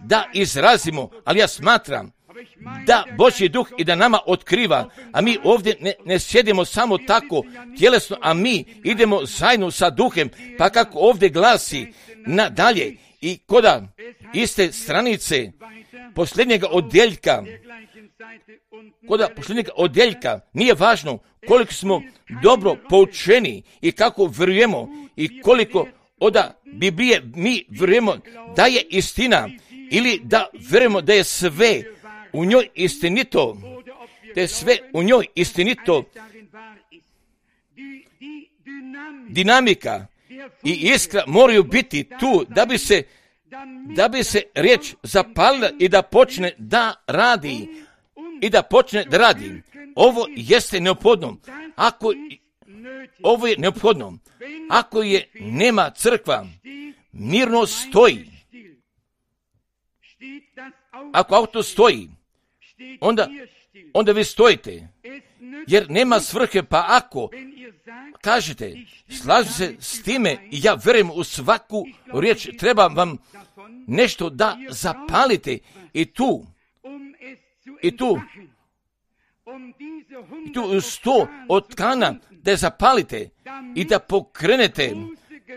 da izrazimo, ali ja smatram da Božji duh i da nama otkriva, a mi ovdje ne, ne sjedimo samo tako tjelesno, a mi idemo zajedno sa duhem, pa kako ovdje glasi nadalje i koda iste stranice posljednjega odjeljka, koda posljednjega odjeljka, nije važno koliko smo dobro poučeni i kako vjerujemo i koliko oda Biblije mi vjerujemo da je istina ili da vjerujemo da je sve u njoj istinito, da je sve u njoj istinito, dinamika i iskra moraju biti tu da bi se, da bi se riječ zapalila i da počne da radi, i da počne da radi. Ovo jeste neophodno. Ako ovo je neophodno, ako je nema crkva, mirno stoji. Ako auto stoji, onda, onda vi stojite, jer nema svrhe, pa ako kažete, slažem se s time i ja vjerujem u svaku riječ, treba vam nešto da zapalite i tu, i tu, i tu uz to od tkana da je zapalite i da pokrenete,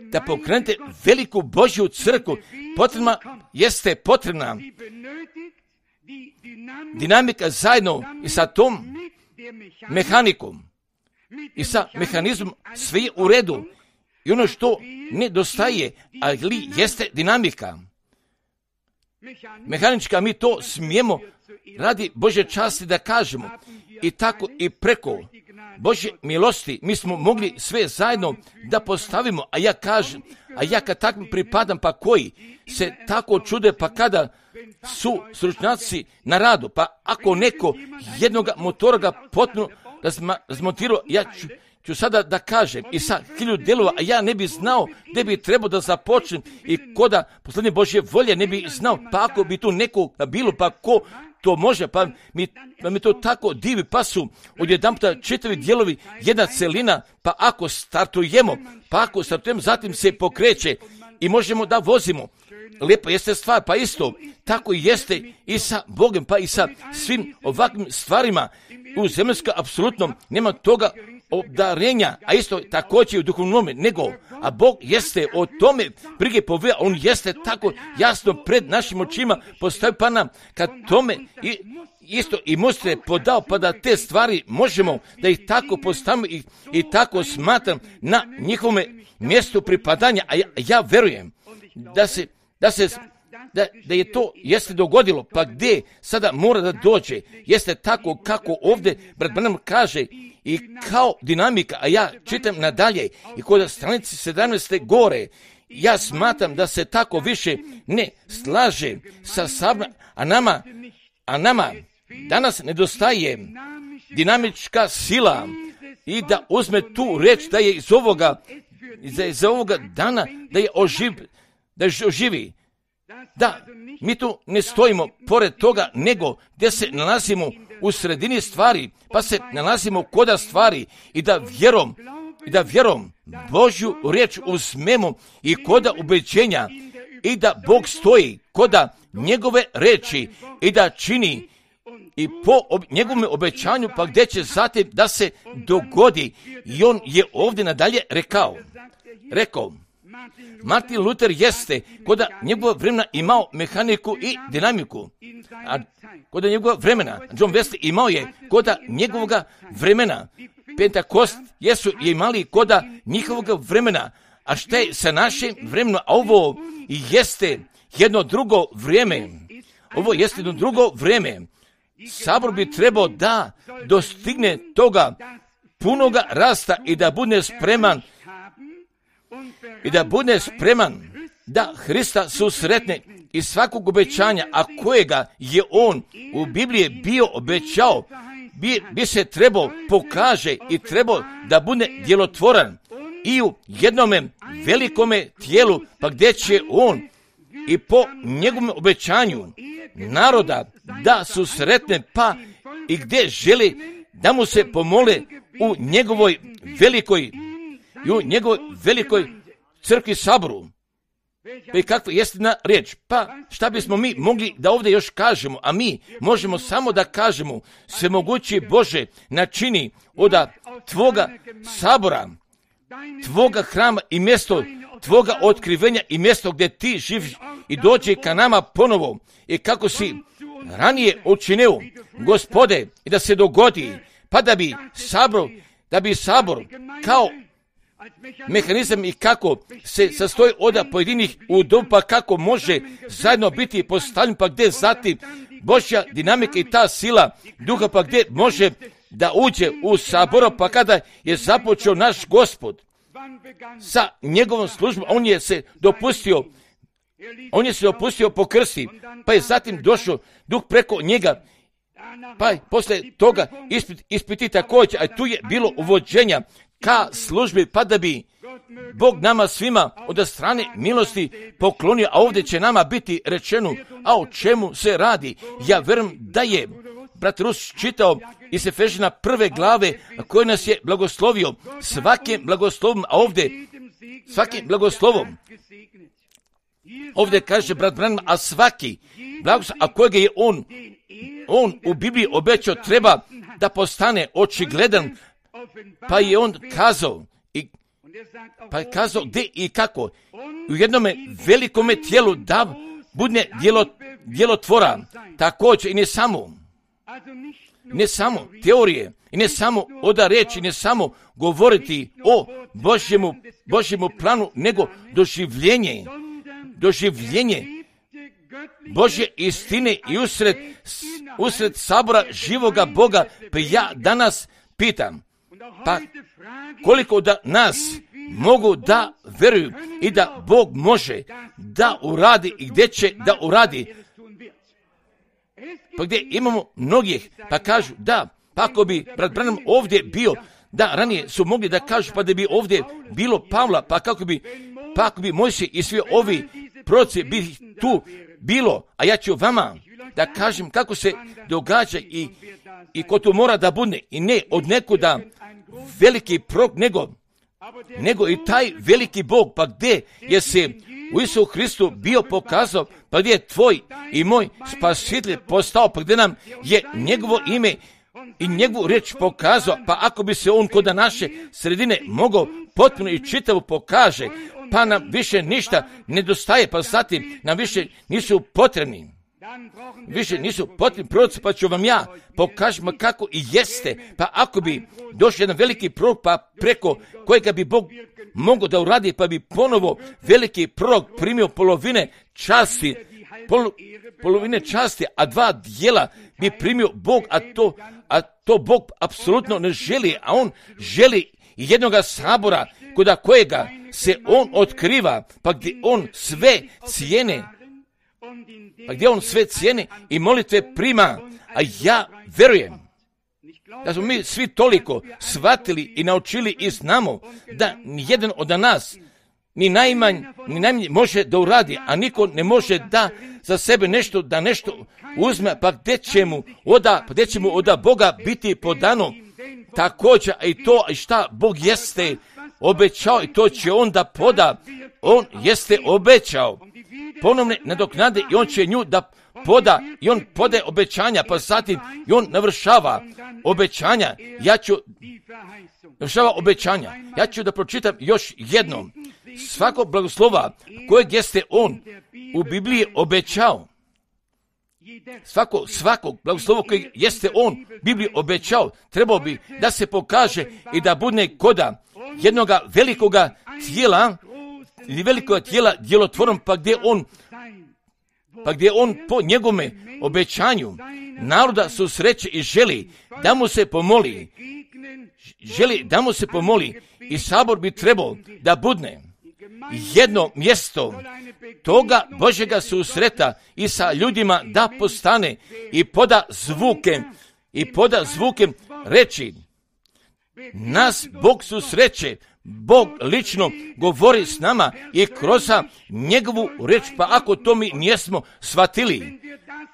da pokrenete veliku Božju crkvu. Potrebna jeste potrebna dinamika zajedno i sa tom mehanikom i sa mehanizmom, sve je u redu i ono što nedostaje, ali jeste dinamika mehanička, mi to smijemo radi Božje časti da kažemo i tako i preko Božje milosti mi smo mogli sve zajedno da postavimo, a ja kažem, a ja kad takvim pripadam, pa koji se tako čude, pa kada su stručnjaci na radu, pa ako neko jednog motora ga potpuno razmontirao, ja ću, ću sada da kažem i sa hiljadu delova, a ja ne bi znao gdje bi trebao da započnem i koda posljednje Božje volje ne bi znao, pa ako bi tu neko bilo, pa ko to može, pa mi, pa mi to tako divi, pa su odjedanputa četiri dijelovi, jedna celina, pa ako startujemo, pa ako startujemo, zatim se pokreće i možemo da vozimo. Lijepa jeste stvar, pa isto, tako jeste i sa Bogom, pa i sa svim ovakvim stvarima. U zemaljskom apsolutno nema toga obdarenja, a isto također u duhovnome, nego, a Bog jeste o tome brige poveo, on jeste tako jasno pred našim očima postavio, pa nam kad tome i isto i Mostre podao, pa da te stvari možemo da ih tako postavimo i, i tako smatram na njihovome mjestu pripadanja, a ja, ja verujem da se, da se Da, da je to jeste dogodilo, pa gdje sada mora da dođe, jeste tako kako ovdje brat Branham kaže i kao dinamika, a ja čitam nadalje i kod stranici sedamnaeste gore, ja smatram da se tako više ne slaže sa sabra, a nama, a nama danas nedostaje dinamička sila i da uzme tu reč da je iz ovoga, da je iz ovoga dana da je oživ, da je oživi. Da, mi tu ne stojimo pored toga, nego gdje se nalazimo u sredini stvari, pa se nalazimo koda stvari i da vjerom, i da vjerom Božju riječ uzmemo i koda ubeđenja i da Bog stoji koda njegove reči i da čini i po ob, njegovom obećanju, pa gdje će zatim da se dogodi. I on je ovdje nadalje rekao, rekao, Martin Luther jeste koda njegova vremena imao mehaniku i dinamiku, a koda njegova vremena, John Wesley imao je koda njegovoga vremena, Pentakost jesu imali koda njihovoga vremena, a šta je sa našim vremenom, a ovo jeste jedno drugo vrijeme, ovo jeste jedno drugo vrijeme. Sabor bi trebao da dostigne toga punoga rasta i da bude spreman i da bude spreman da Hrista susretne i svakog obećanja, a kojega je on u Bibliji bio obećao, bi, bi se trebao pokaže i trebao da bude djelotvoran i u jednome velikome tijelu, pa gdje će on i po njegovom obećanju naroda da susretne, pa i gdje želi da mu se pomole u njegovoj velikoj i u njegovoj velikoj crkvi saboru. Pa i kakva je istina riječ? Pa šta bismo mi mogli da ovdje još kažemo, a mi možemo samo da kažemo, svemogući Bože načini od tvoga sabora, tvoga hrama i mjesto tvoga otkrivenja i mjesto gdje ti živiš i dođe ka nama ponovo i kako si ranije učinio, Gospode, i da se dogodi, pa da bi sabor, da bi sabor kao mehanizam i kako se sastoji od pojedinih udoba, kako može zajedno biti postavljen, pa gdje zatim Božja dinamika i ta sila duha, pa gdje može da uđe u sabor, pa kada je započeo naš Gospod sa njegovom službom, on je se dopustio, on je se dopustio po krsti, pa je zatim došao duh preko njega, pa je poslije toga ispit, ispiti također, a tu je bilo uvođenja ka službi, pa da bi Bog nama svima od strane milosti poklonio, a ovdje će nama biti rečeno, a o čemu se radi. Ja vjerujem da je brat Rus čitao iz Efežina prve glave koji nas je blagoslovio svakim blagoslovom, a ovdje svakim blagoslovom. Ovdje kaže brat Branham, a svaki blagoslov, a kojega je on, on u Bibliji obećao, treba da postane očigledan, pa je on kazao, i, pa je kazao gdje i kako, u jednome velikome tijelu da bude djelo, djelotvora, također i ne samo, ne samo teorije, i ne samo oda reći, ne samo govoriti o Božjemu, Božjemu planu, nego doživljenje, doživljenje Božje istine i usred, usred sabora živoga Boga. Pa ja danas pitam, pa koliko da nas mogu da veruju i da Bog može da uradi i gdje će da uradi. Pa gdje imamo mnogih, pa kažu da, pa ako bi brat Branham ovdje bio, da ranije su mogli da kažu pa da bi ovdje bilo Pavla, pa kako bi, pa ako bi Mojsije i svi ovi proroci bi tu bilo, a ja ću vama da kažem kako se događa i, i ko tu mora da bude i ne od nekuda veliki prorok, nego, nego i taj veliki Bog, pa gdje je se u Isusu Hristu bio pokazao, pa gdje je tvoj i moj spasitelj postao, pa gdje nam je njegovo ime i njegovu riječ pokazao, pa ako bi se on kod naše sredine mogao potpuno i čitavo pokaže, pa nam više ništa nedostaje, pa zatim nam više nisu potrebni. Više nisu potrebni proroci, pa ću vam ja pokažem kako i jeste, pa ako bi došao jedan veliki prorok, pa preko kojega bi Bog mogao da uradi, pa bi ponovo veliki prorok primio polovine časti, pol, polovine časti, a dva dijela bi primio Bog, a to, a to Bog apsolutno ne želi, a on želi jednoga sabora kod kojega se on otkriva, pa gdje on sve cijene, pa gdje on sve cijene i molitve prima, a ja verujem da smo mi svi toliko shvatili i naučili i znamo da nijedan od nas ni najmanj, ni najmanje može da uradi, a niko ne može da za sebe nešto, da nešto uzme, pa gdje će mu oda, pa gdje će mu oda Boga biti podano. Također i to i šta Bog jeste obećao i to će on da poda. On jeste obećao ponovne nadoknade i on će nju da poda i on podaje obećanja, pa zatim i on navršava obećanja. Ja ću navršava obećanja. Ja ću da pročitam još jednom. Svako blagoslova kojeg jeste on u Bibliji obećao. Svako, svakog blagoslova kojeg jeste on u Bibliji obećao, trebao bi da se pokaže i da bude koda jednoga velikoga tijela ili velikoga tijela djelotvorom, pa gdje on pa gdje on po njegovome obećanju naroda susreće i želi da mu se pomoli, želi da mu se pomoli i sabor bi trebao da budne jedno mjesto toga Božjega susreta i sa ljudima da postane i poda zvuke i poda zvuke reći nas Bog susreće, Bog lično govori s nama i kroz njegovu reč, pa ako to mi nismo shvatili,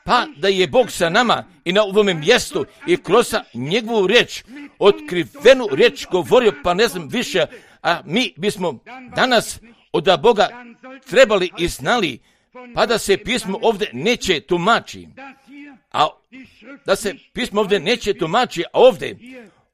pa da je Bog sa nama i na ovome mjestu i kroz njegovu reč, otkrivenu reč govorio, pa ne znam više, a mi bismo danas od Boga trebali i znali, pa da se pismo ovdje neće tumači, a da se pismo ovdje neće tumači, a ovdje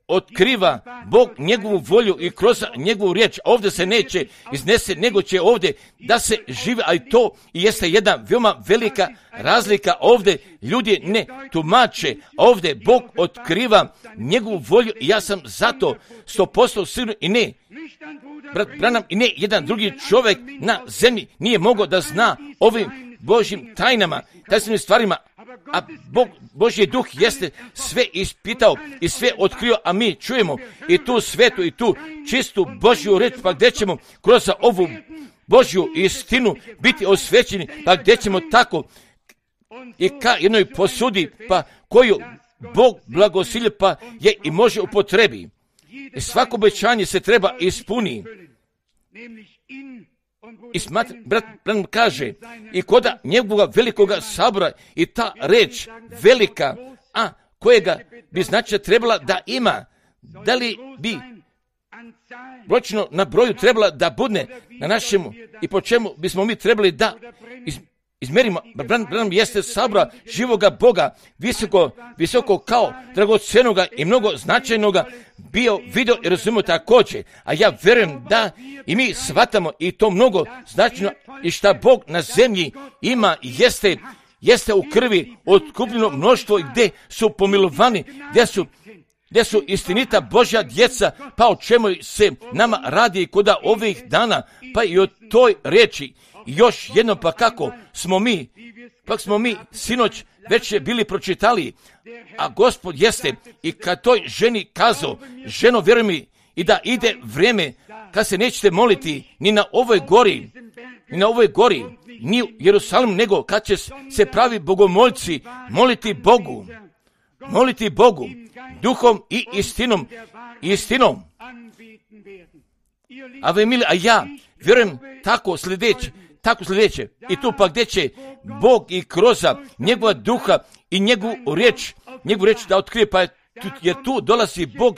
otkriva Bog njegovu volju i kroz njegovu riječ, a ovdje se neće iznese, nego će ovdje da se žive, a i to jeste jedna veoma velika razlika. Ovdje ljudi ne tumače, a ovdje Bog otkriva njegovu volju i ja sam zato sto posto siguran i ne, brat Branham i ne jedan drugi čovjek na zemlji nije mogao da zna ovim Božjim tajnama, tajnim stvarima, a Bog, Božji duh jeste sve ispitao i sve otkrio, a mi čujemo i tu svetu i tu čistu Božju reč, pa gdje ćemo kroz ovu Božju istinu biti osvećeni, pa gdje ćemo tako i ka jednoj posudi, pa koju Bog blagosilje, pa je i može upotrebi. I svako obećanje se treba ispuni. I smatra, brat Branham kaže, i koda njegovog velikoga sabora i ta reč velika, a kojega bi znači trebala da ima, da li bi brojčno na broju trebala da budne na našemu i po čemu bismo mi trebali da iz, izmerimo. Branham jeste sabora živoga Boga, visoko, visoko kao dragocenoga i mnogo značajnoga bio, video i razumio također, a ja vjerujem da i mi shvatamo i to mnogo značajno i šta Bog na zemlji ima jeste, jeste u krvi otkupljeno mnoštvo gdje su pomilovani, gdje su, gdje su istinita Božja djeca, pa o čemu se nama radi kod ovih dana, pa i o toj reči. Još jedno, pa kako smo mi, pa smo mi sinoć već je bili pročitali, a Gospod jeste i kad toj ženi kazao, ženo vjeruj mi i da ide vrijeme kad se nećete moliti ni na ovoj gori, ni na ovoj gori, ni u Jerusalimu, nego kad će se pravi bogomoljci moliti Bogu, moliti Bogu, duhom i istinom, istinom. A vi mili, a ja vjerujem tako sljedeće, tako sljedeće, i tu pa gdje će Bog i kroz njegova duha i njegovu riječ, njegovu riječ da otkrije, pa je tu, jer tu dolazi Bog,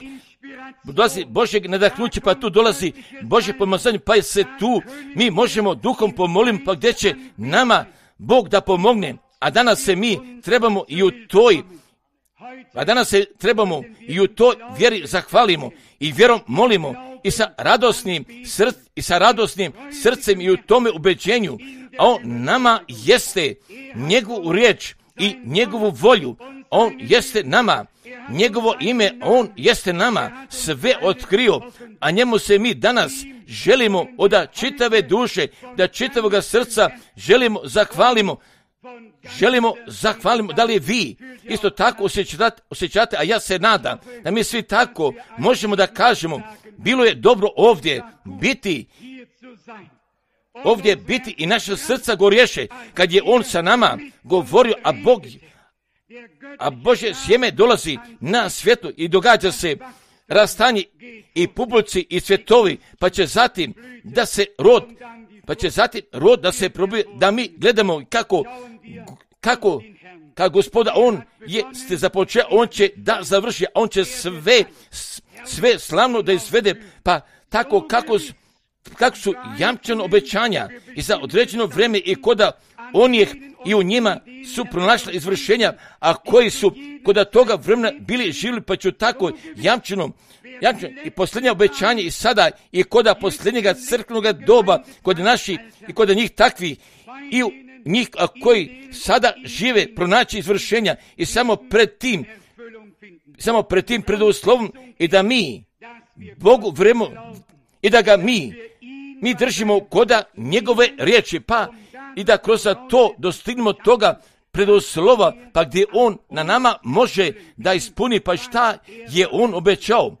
dolazi Božjeg nadahnuće, pa tu dolazi Božje pomazanje, pa je se tu mi možemo duhom pomolim, pa gdje će nama Bog da pomogne, a danas se mi trebamo i u toj, a danas se trebamo i u toj vjeri zahvalimo i vjerom molimo i sa radosnim src, i sa radosnim srcem i u tome ubeđenju, a on nama jeste njegovu riječ i njegovu volju, on jeste nama, njegovo ime, on jeste nama sve otkrio, a njemu se mi danas želimo od čitave duše, da čitavoga srca želimo zahvalimo, želimo zahvalimo. Da li vi isto tako osjećate, osjećate, a ja se nadam da mi svi tako možemo da kažemo, bilo je dobro ovdje biti, ovdje biti i naša srca gorješe kad je on sa nama govorio, a Bog, a Božje sjeme dolazi na svijetu i događa se rastanje i publici i svjetovi, pa će zatim da se rod, pa će zatim rod da se probije, da mi gledamo kako, kako, kako Gospoda, on je ste započeo, on će da završi, on će sve, sve slavno da izvede, pa tako kako, kako su jamčeno obećanja i za određeno vrijeme i koda on je i u njima su pronašla izvršenja, a koji su kod toga vremena bili živjeli, pa ću tako jamčeno, jamčeno i posljednja obećanja i sada i kod posljednjega crkvenog doba, kod naših i kod njih takvi i u njih a koji sada žive pronaći izvršenja i samo pred tim, samo pred tim preduslovom i da mi Bogu vremo i da ga mi, mi držimo koda njegove riječi, pa i da kroz to dostignemo toga preduslova, pa gdje on na nama može da ispuni, pa šta je on obećao.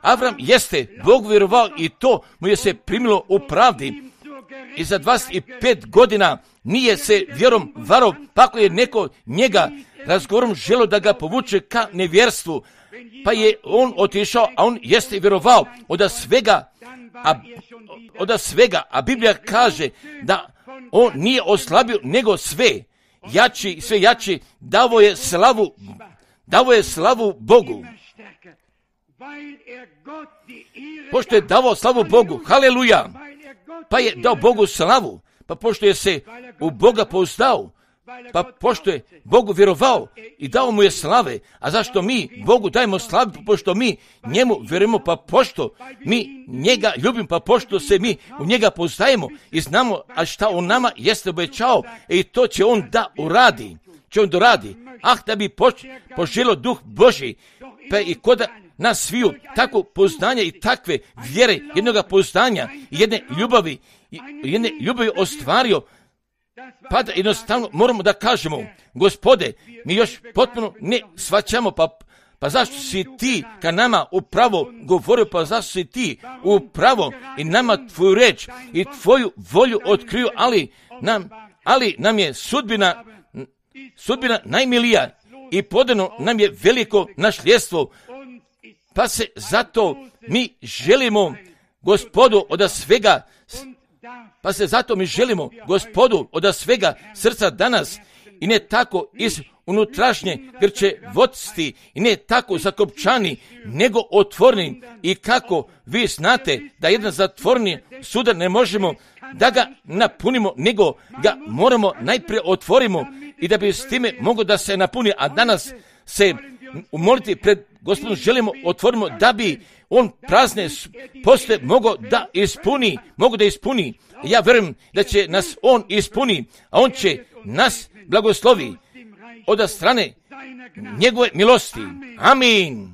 Avram jeste Bog vjerovao i to mu je se primilo u pravdi. I za dvadeset pet godina nije se vjerom varao, pa ako je neko njega razgovorom želio da ga povuče ka nevjerstvu, pa je on otišao, a on jeste vjerovao od svega, a, od svega, a Biblija kaže da on nije oslabio, nego sve jači, sve jači, davo je slavu, davo je slavu Bogu. Pošto je davo slavu Bogu, haleluja, pa je dao Bogu slavu, pa pošto je se u Boga pouzdao, pa pošto je Bogu vjerovao i dao mu je slave, a zašto mi Bogu dajemo slavu, pošto mi njemu vjerujemo, pa pošto mi njega ljubimo, pa pošto se mi u njega pouzdajemo i znamo, a šta on nama jeste obećao, i to će on da uradi, će on doradi. Ah, da bi poč- poželio duh Božji, pa i koda nas sviju tako pouzdanja i takve vjere, jednoga pouzdanja i jedne ljubavi, jedne ljubavi ostvario, pa da jednostavno moramo da kažemo, Gospode, mi još potpuno ne shvaćamo, pa, pa zašto si ti ka nama upravo govorio, pa zašto si ti upravo i nama tvoju reč i tvoju volju otkriju, ali nam, ali nam je sudbina, sudbina najmilija i podano nam je veliko nasljedstvo, pa se zato mi želimo Gospodu od svega, pa se zato mi želimo Gospodu od svega srca danas i ne tako iz unutrašnje grčevosti i ne tako zakopčani, nego otvoreni. I kako vi znate da jedan zatvorni sudar ne možemo da ga napunimo, nego ga moramo najprije otvorimo i da bi s time moglo da se napuni, a danas se umoliti pred Gospodom želimo otvorimo da bi on prazne poste mogao da ispuni, mogu da ispuni. Ja vjerujem da će nas on ispuni, a on će nas blagoslovi od strane njegove milosti. Amin.